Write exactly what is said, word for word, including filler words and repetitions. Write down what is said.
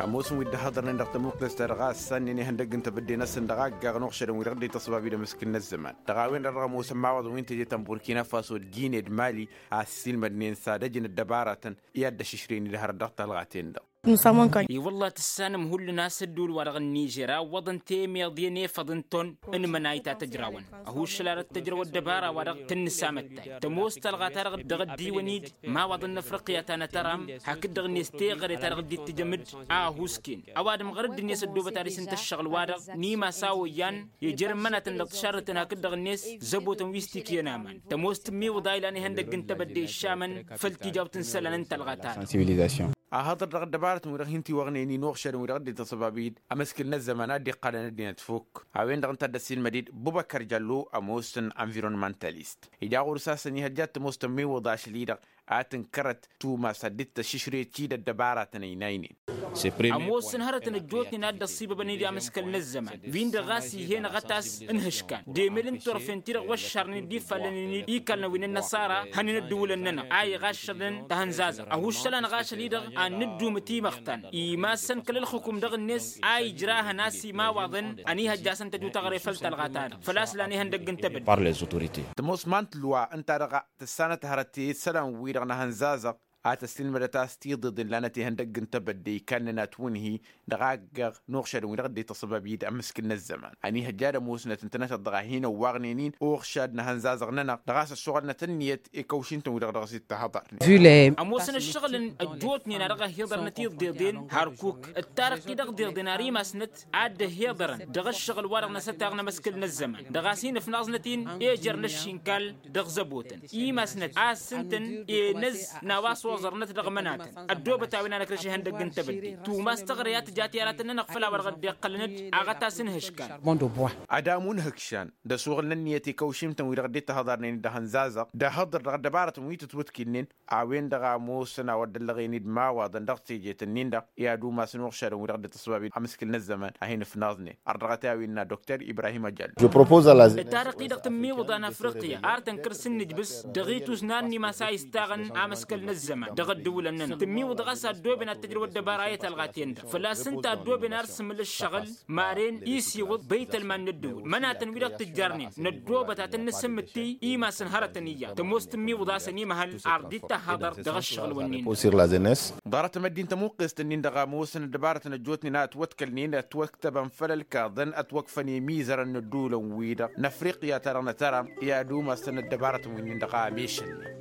Ămoosăn wi dd-ăhhăḍărnen dăɣ-tămuqqest-ta-dăɣ a ǝssannen ihăndăgg n-tebădde-năsăn dăɣ-aggaɣ n-uɣšădăn wi-dăɣ dd-ităṣṣăbab-i d-amǝskǝl n-ăzzăman dăɣ-a-wen-dăɣ dăɣ-ămoosăn imawaḍăn wi n-teje ta n-burkina faso d-gine d-mali a ăssiilmădnen s-ad-ăjǝn ăddăbaratăn i-ad-dd-ăššǝšrǝyăn-dd hărăt dăɣ-talɣa-ten-dăɣ. I-wălla tǝssanăm hullan a-s ădduul-wa-dăɣ n-nižer a ǝwwăḍăn temeḍe n-efăḍ n-ton n-imănay ta tăjrawăn ăhuššăl ad-ăttăjrăw ăddăbara-wa-dăɣ tǝnnǝs amăttay tămoos talɣa-ta-dăɣ dăɣ-ăddiiwăn-dd imawaḍăn n-afriqya ta n-atăram hakd-dăɣ-net teɣăre-ta-dăɣ dd-ittǝjăm-dd a ăhuusken ăwadǝm ɣur-dd-net ăddoobăt ad-isǝnta ǝššăɣǝl-wa-dăɣ n-imas a oyyan ijrǝmmănatăn dăɣ-tǝšarrǝtăn hakd-dăɣ-net zăbotăn wi s-tikǝyăn aman tămoos tǝmmiwǝḍa ilan ihăndăgg n-tebădde iššamăn făll-tijawt n-isălan n-talɣa-ta-dăɣ. Ahăḍăr dăɣ-ăddăbarătăn wi-dăɣ hin-tiwăɣnen-in uɣšădăn wi-dăɣ dd-ităṣṣăbab-i-dd amǝskǝl n-ăzzăman a dd-iqqalăn ăddinăt fukk a-wen-dăɣ ǝnta a dd-ăssiilmăd-dd bubăkăr jallo ămoosăn environmentalist ija ɣur-s a-s ănihăjja ad-tămoos tămmiwǝḍa ašăl-i-dăɣ a tǝnkărăt tumas ad-dd-tăššǝšrǝy d-ăddăbaratăn ăynaynen. Ămoosăn hărătăn ăjjootnen a dd-ăṣṣibăbăn-dd amǝskăl n-ăzzăman wi-dăɣ ɣas ih'-e-năɣ a tas n-ihǝškan d-emel n-turfen-ti-dăɣ wăššarnen-dd ifallen-in-dd ikalnăwin n-ănnăṣara hăn inǝddǝwǝlăn-nănăɣ a iɣaššălăn tahănzazăɣt ăhuššăl-anăɣ ašăl-i-dăɣ ad-nǝddumǝt imăxtan imassăn kăl-ălxǝkum dăɣ-net a ijrahăn a-s imawaḍăn ănihăjjasăn tăjut aɣrefăl talɣa-ta-dăɣ făl-a-s lan ihăndăgg n-tebădde. Tămoos mant lwa ǝnta-dăɣ tǝssanăt hărăt i-isălan-wi-dăɣ n-ahănzazăɣ a tăssilmădăt a-s tiḍeḍen lanăt ihăndăgg n-tebădde ikannăn atwǝnhi dăɣ-agg n-uɣšadăn wi-dăɣ dd-ităṣṣăbab-i-dd amǝskǝl n-ăzzăman ănihăjja ad-ămoosnăt ǝntănăteḍ dăɣ-a hin-ăwwaɣnen-in uɣšad n-ahănzazăɣ-nănăɣ dăɣ-a-s ăššuɣǝlnăt ǝnniyăt i-kăwšintăn wi-dăɣ dăɣ-s ittăhăḍărnen. Ămoosăn ǝššăɣǝlăn ăjjootnen a dăɣ-ăhhiḍărnăt iḍeḍen hărkuk ǝttarăɣ-t-i dăɣ-deḍen ar imassnăt ad-dd-ăhhiḍărăn dăɣ-ǝššăɣǝl-wa-dăɣ n-asătaɣ n-amǝskǝl n-ăzzăman dăɣ-a-s hin-ǝfnaẓnăt-in ejăr n-ăššinkal dăɣ-zăbotăn imasnăt a ǝssǝntăn enăz n-a-wa s-oẓărnăt dăɣ-imănatăn ăddoobăt a-wen a năkrăš ihăndăgg n-tebădde tumas teɣre a tǝja tiyaratăn-nănăɣ făll-a-wa-dăɣ dd-iqqălăn-dd aɣătas n-ihǝškan. Ad-amu n-ihǝkšan d-asuɣǝl n-ǝnniyăt i-kăwšimtăn-wi-dăɣ dd-tahăḍarnen d-ahănzazăɣ d-ahăḍăr dăɣ-ăddăbarătăn wi tǝtwǝtkǝnnen a-wen-dăɣ a ămoosăn a wăr dd-ăllăɣen-dd imawaḍăn dăɣ-tejet-ǝnnin-dăɣ i-ad-umasăn uɣšadăn wi-dăɣ dd-ităṣṣăbab amǝskǝl n-ăzzăman a hin-ǝfnaẓnen ărdăɣăt i-a-wen innă dokter ibrahim ajăll. Ǝttarăɣ-t-i-dăɣ tǝmmiwǝḍa n-afriqya ar tănkăr s-ǝnnǝjbǝs dăɣ-itusnan n-imas a istaɣăn amǝskăl n-ăzzăman dăɣ-ăddǝwǝlăn-nănăɣ tǝmmiwǝḍa ɣas a ăddooben ad-tăjrăw ăddăbara i-talɣa ten-dăɣ făl-a-s ǝnta a ăddooben ar s-ǝmmǝl ǝššăɣǝl maren isiwǝḍ băytălman n-ăddǝwǝl mănatăn wi-dăɣ tǝjjarnen năddoobăt ad-tăn-nǝsǝmmǝttǝy imasăn hărătăn iyyăḍ tămoos tǝmmiwǝḍa a-s ănimăhăl ar dd-ittăhhaḍăr dăɣ-ăššăɣǝl-wǝnnin. Ḍarăt ămăddin tămuqqest-ǝnnin-dăɣ a ămoosăn ăddăbarătăn ăjjootnen a ătwătkălnen ătwăktăbăn făll-ălkaḍăn ătwăkfăn i-imizărăn n-ădduulăn-wi-dăɣ n-afriqya-ta-dăɣ n-ătăram i-ad-umasăn ăddăbarătăn wi-nin-dăɣ a ămešălnen.